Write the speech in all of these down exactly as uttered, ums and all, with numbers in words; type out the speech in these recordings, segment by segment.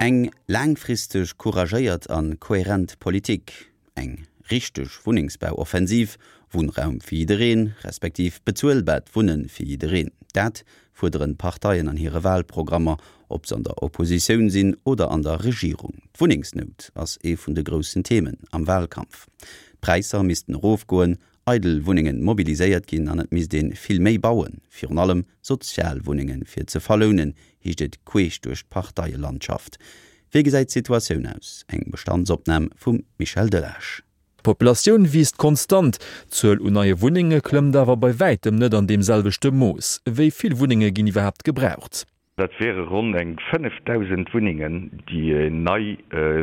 Eng laangfristeg couragéiert a kohärent Politik, eng richteg Wunnengsbauoffensiv, Wunnraum fir jiddereen, respektiv bezuelbaart Wunne fir jiddereen, dat fuerderen d'Parteien an hire Walprogrammer, ob se an der Oppositioun sinn oder an der Regierung. D'Wunnengsnout ass ee vun de groussen Themen am Walkampf. D'Präisser missten erofgoen, eidel Wunnenge mobiliséiert ginn an et misst ee vill méi bauen, virun allem Sozialwunnenge fir ze verlounen, heescht et queesch duerch d'Parteielandschaft. Wéi gesäit d'Situatioun aus? Eng Bestandsopnam vum Michel Delage. D'Populatioun wiisst konstant, d'Zuel un neie Wunnenge klëmmt awer bei wäitem net an deem selwechte Mooss. Wéi vill Wunnenge ginn iwwerhaapt gebraucht? Dat wiere ronn eng fënnefdausend Wunnengen, déi nei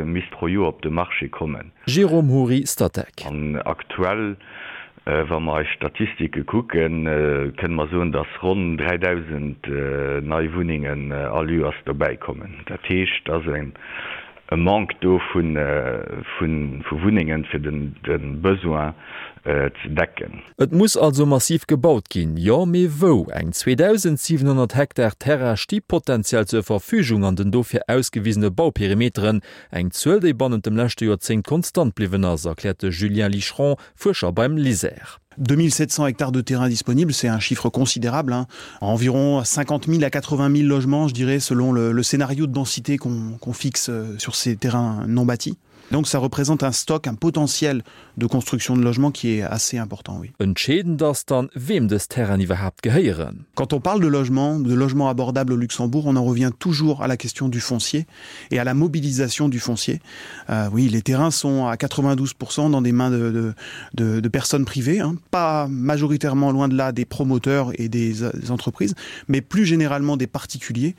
misst pro Joer op de Marché kommen. Jérôme Houry, Statec. An aktuell, wa mer eis Statistike kucken, kënne mer soen, datt ronn dräidausend nei Wunnengen all Joers dobäikommen. Dat heescht, et ass e Manque do vu Wunnengen, fir de Besoin ze decken. Et muss also massiv gebaut ginn, jo, mee wou? Eng zweedausendsiwenhonnert Hektar Terrain sti potenziell zur Verfügung an den dofir ausgewisene Bauperimeteren. Eng Zuel, déi bannent dem leschte Joerzéngt konstant bliwwen ass, erkläert de Julien Licheron, Fuerscher beim LISER. deux mille sept cents hectares de terrain disponibles, c'est un chiffre considérable, hein. Environ cinquante mille à quatre-vingt mille logements, je dirais, selon le, le scénario de densité qu'on, qu'on fixe sur ces terrains non bâtis. Donc ça représente un stock, un potentiel de construction de logements qui est assez important, oui. Entscheedend ass dann, weem dës Terrainen iwwerhaapt gehéieren. Quand on parle de logement, de logement abordable au Luxembourg, on en revient toujours à la question du foncier et à la mobilisation du foncier. Euh, oui, les terrains sont à quatre-vingt-douze pour cent dans des mains de, de, de, de personnes privées, hein, pas majoritairement loin de là des promoteurs et des, des entreprises, mais plus généralement des particuliers,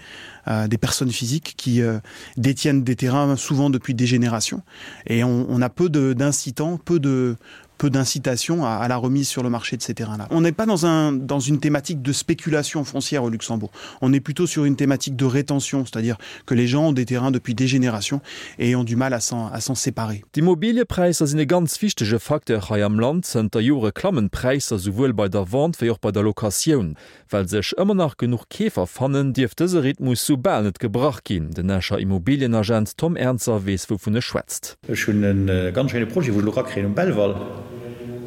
euh, des personnes physiques qui, euh, détiennent des terrains souvent depuis des générations. Et on, on a peu de, d'incitants, peu de, peu d'incitations à, à la remise sur le marché de ces terrains-là. On n'est pas dans un, dans une thématique de spéculation foncière au Luxembourg. On est plutôt sur une thématique de rétention, c'est-à-dire que les gens ont des terrains depuis des générations et ont du mal à s'en, à s'en séparer. D'Immobiliëpräisser sinn e ganz wichtege Facteur hei am Land. Zënter Jore klammen d'Präisser souwuel bei der Vente wéi och bei der Locatioun. Well sech ëmmer nach genuch Keefer fannen, dierft dëse Rhythmus sou bal net gebrach ginn. Den Escher Immobilienagent Tom Ernzer weess, wouvun e schwätzt. Ech hunn e ganz schéine Projet, wou ech elo erakréien um Belval.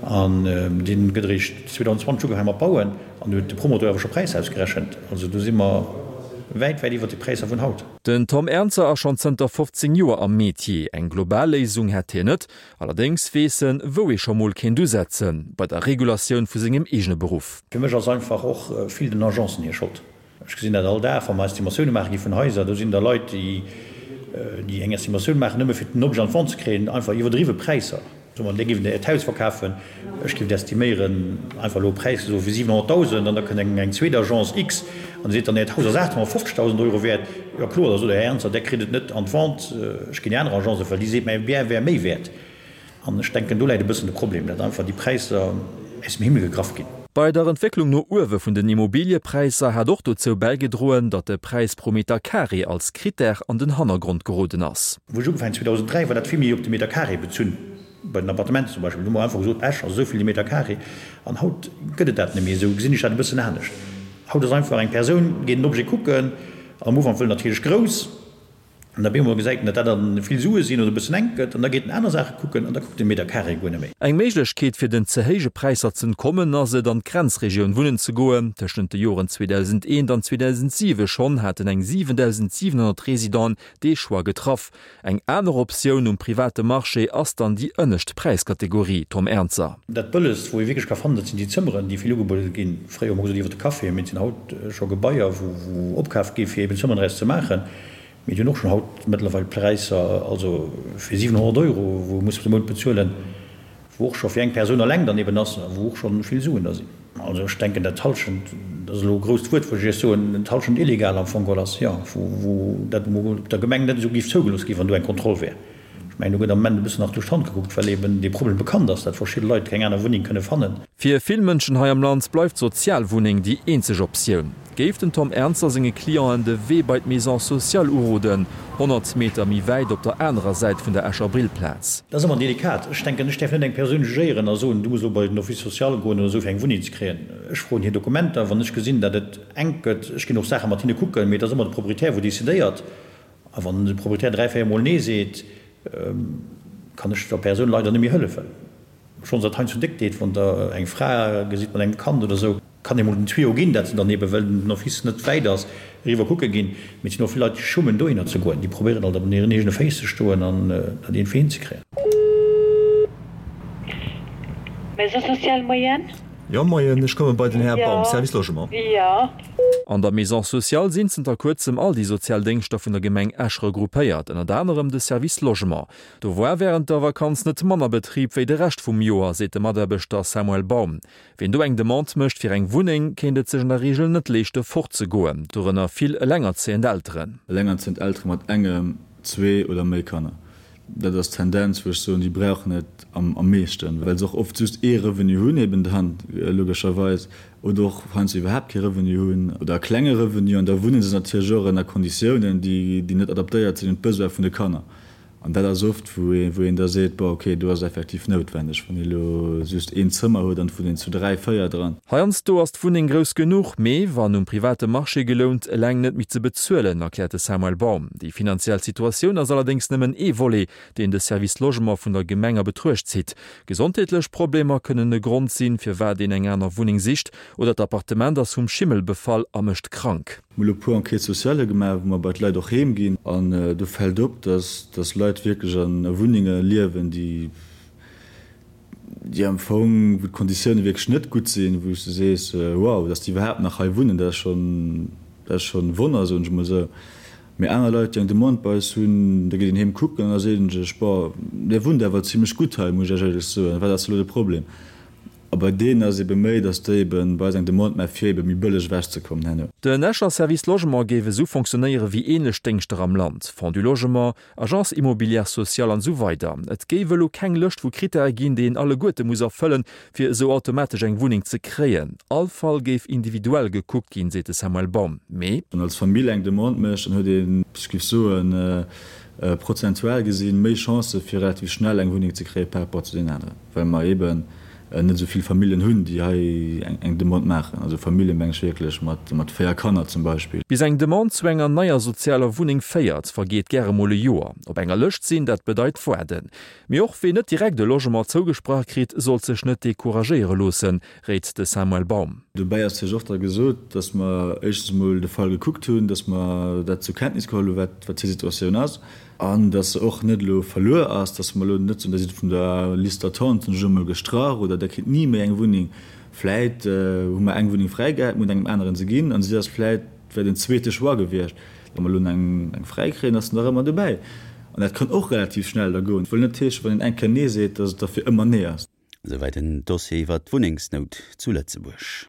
An dee gëtt eréischt zweedausendzwanzeg ugefaange mat bauen. An do huet de Promoteur awer scho Präisser ausgerechent. Also do si mer wäit, wäit iwwert de Präisser vun haut. Den Tom Ernzer ass schonn zënter fofzéng Joer am Metier. Eng global Léisung hätt hien net. Allerdéngs weess en, wou ee scho mol kéint usetzen, bei der Regulatioun vu sengem eegene Beruff. Fir mech ass einfach och vill den Agencen hir Schold. Ech gesinn dat all Dag, wa mer Estimatioune maache gi vun Haiser. Do sinn da Leit, déi, déi eng Estimatioun maachen, nëmme fir den Objet an d'Vente ze kréien, einfach iwwerdriwwe Präisser. Soe mer, Dir giff Äert Haus verkafen, ech giff et estiméieren, einfach elo e Präis gesot, fir siwenhonnertdausend, an da kënnt eng, eng zweet Agence X an seet dann, Äert Haus ass aachthonnertfofzegdausend Euro wäert. Jo kloer, da sot der Här Ernzer, Der kritt et net an d'Vente, ech ginn déi aner Agence, well déi seet, mäi Bien wär méi wäert. An ech denken, do läit e bëssen de Problem, datt einfach déi Präisser aus dem Himmel gegraff ginn. Bei der Entwécklung no uewe vun den Immobiliëpräisser hat och dozou bäigedroen, datt de Präis pro Meter carré als Critère an den Hannergrond geroden ass. Wou ech ugefaangen zweedausenddräi, war dat vill méi op de Meter carré bezunn, bei den Appartementen zum Beispill. Do hu mer einfach gesot, Esch ass esou vill de Meter carré. An haut gëtt et dat net méi esou, gesinn ech dat e bëssen anescht. Haut ass einfach eng Persoun, geet en Objet kucken, am Ufank wëll natierlech grouss, an da op eemol gesäit en, datt dat dann vill Sue sinn oder e bëssen enk gëtt, an da geet en aner Saache kucken an da kuckt en de Meter carré guer net méi. Eng Méiglechkeet fir den ze héije Präisser z'entkommen ass et, an d'Grenzregioun wunnen ze goen. Tëschent de Joren zweedausendeent an zweedausentsiwe schonn haten eng siwendausentsiwenhonnert Residenten dee Choix getraff. Eng aner Optioun um private Marché ass dann déi ënnescht Präiskategorie, Tom Ernzer. Dat Bëllegst, wou ee wierklech ka fannen, dat sinn déi Zëmmeren, déi vill ugebuede ginn. Fréier hu mer gesot iwwer de Café, mee et sinn haut scho Gebaier, wou opkaf gi fir eben Zëmmeren draus ze maachen. Mee déi hunn och schonn haut mëttlerweil Präisser, also fir siwenhonnert Euro, wou ee muss de Mount bezuelen, wou och scho fir eng Persoun eleng dann eben ass a wou och scho vill Suen da sinn. Also ech denken, dat d'Hallschent, dat ass elo e grousst Wuert, wou ech Iech soen, d'Hallschent illegal am Fong geholl ass, jo, wou dat emol op der Gemeng net esou géif zougelooss ginn, wann do eng Kontroll wär. Ech mengen, do gëtt am Moment e bëssen nach duerch d'Hand gekuckt, well eben dee Problem bekannt ass, datt verschidde Leit keng aner Wunneng kënne fannen. Fir vill Mënschen hei am Land bleift d'Sozialwunneng déi eenzeg Optioun. Géif den Tom Ernzer senge Clienten de Wee bei d'Maison sociale uroden, honnert Meter méi wäit op der anerer Säit vun der Escher Brillplaz. Dat ass ëmmer delikat. Ech denken, ech däerf net eng Persoun jugéieren a soen, du muss elo bei den Office social goen oder esou fir eng Wunneng ze kréien. Ech froen hir Dokumenter, wann ech gesinn, datt et enk gëtt. Ech ginn och Saache mat hinne kucken, mee et ass ëmmer de Proprietär wou decidéiert. A wann de Proprietär dräi, véier Mol Nee seet, kann ech der Persoun leider net méi hëllefen. Schonns dat heiansdo déck deet, wann Der eng Fra gesitt mat engem Kand oder esou, kann ee mol den Tuyau ginn, dat se dann eebe well den Office net wäit ass, eriwwer kucke ginn. Mee et sinn och vill Leit, déi schummen dohinner ze goen. Déi probéieren alt op hiren eegene Féiss ze stoen an dat iergendwéi hinzekréien. Maison sociale Moien? Jo, moien, ech komme bei den Här Baum, Service Logement. Jo. An der Maison sociale sinn zënter kuerzem all déi sozial Déngschter vun der Gemeng Esch regroupéiert, ënnert anerem de Service Logement. Do war wärend der Vakanz net manner Betrib wéi de Rescht vum Joer, seet de Mataarbechter Samuel Baum. Wien do eng Demande mécht fir eng Wunneng, kéint et sech an der Reegel net leeschte fort ze goen, dorënner vill elengerzéiend Elteren. Elengerzéiend Eltere mat engem, zwee oder méi Kanner. Dat ass d'Tendenz, wou ech soen, déi brauchen et am meeschten, well se och oft just ee Revenu hunn eben dann logescherweis oder och heiansdo iwwerhaapt kee Revenu hunn oder e klenge Revenu an da wunne se natierlech och ënner Konditiounen, déi net adaptéiert sinn un d'Besoin vun de Kanner. An dat ass oft, wou een da seet, bon, okay, do ass et effektiv noutwendeg, wann ee elo just een Zëmmer huet an et wunnt een zu dräi, véier dran. Heiansdo ass d'Wunneng grouss genuch, mee wann um private Marché gelount, eleng net méi ze bezuelen, erkläert de Samuel Baum. Déi finanziell Situatioun ass allerdéngs nëmmen ee Volet, deen de Service Logement vun der Gemeng a Betruecht zitt. Gesondheetlech Problemer kënnen e Grond sinn, firwat een eng aner Wunneng sicht, oder d'Appartement ass vum Schimmel befall a mécht krank. Mir hu lo e puer Enquêtes sociales gemaach, wou mer bei d'Leit och heem ginn. An do fält op, dass dass Leit wierklech a Wunnenge liewen, déi déi am Fong, wou d'Konditioune wierklech net gutt sinn, wou s de sees, wow, dass déi iwwerhaapt nach hei wunnen, dat ass schonn dat ass schonn e Wonner, soen ech emol esou. Mee aner Leit, déi eng Demande bei eis hunn, da geet een heem kucken an da seet een sech, bon, där wunnt awer zimlech gutt hei, muss ech Iech éierlech soen, wat ass elo de Problem? A bei deenen ass ebe méi, datt déi ebe bei eis eng Demande maachen, fir ebe méi bëlleg ewechzekommen herno. Den Escher Service Logement géif esou fonctionnéiere wéi änlech Déngschter am Land, Fonds du Logement, Agence immobilière sociale an esou weider. Et géif elo keng Lëscht vu Krittäre ginn, déi een alleguerte muss erfëllen, fir esou automatesch eng Wunneng ze kréien. All Fall géif individuell gekuckt ginn, seet de Samuel Baum. Mee. Wann als Famill eng Demande mécht, dann huet een, ech géif soen, prozentual gesinn, méi Chancë fir relativ schnell eng Wunneng ze kréie par rapport zu deenen aneren, well mer eeben net esou vill Familljen hunn, déi hei eng Demande maachen. Also Famillje meng ech wierklech mat véier Kanner zum Beispill. Bis eng Demande zu enger neier sozialer Wunneng féiert, vergeet gäre mol e Joer. Op enger Lëscht sinn, dat bedeit waarden. Mee och ween net direkt e Logement zougesprach kritt, sollt sech net decouragéiere loossen, réit de Samuel Baum. Dobäi ass natierlech och da gesot, datt mer éischtens emol de Fall gekuckt hunn, datt mer dat zur Kenntnis geholl hunn, wat hir Situatioun ass. An dass se och net elo verluer ass, dass mer elo net soen, der sidd vun der Liste d'attente elo emol gestrach oder der kritt ni méi eng Wunneng. Vläit hu mer eng Wunneng fräi gehat, mir hunn engem aneren se ginn an si ass vläit, wär den zweete Choix gewiescht. Wa mer elo eng fräi kréien, ass se nach ëmmer dobäi. An dat kann och relativ schnell da goen. Wëll net heeschen, wann een eng Kéier Nee seet, dass et da fir ëmmer Nee ass. Esouwäit en Dossier iwwer d'Wunnengsnout zu Lëtzebuerg.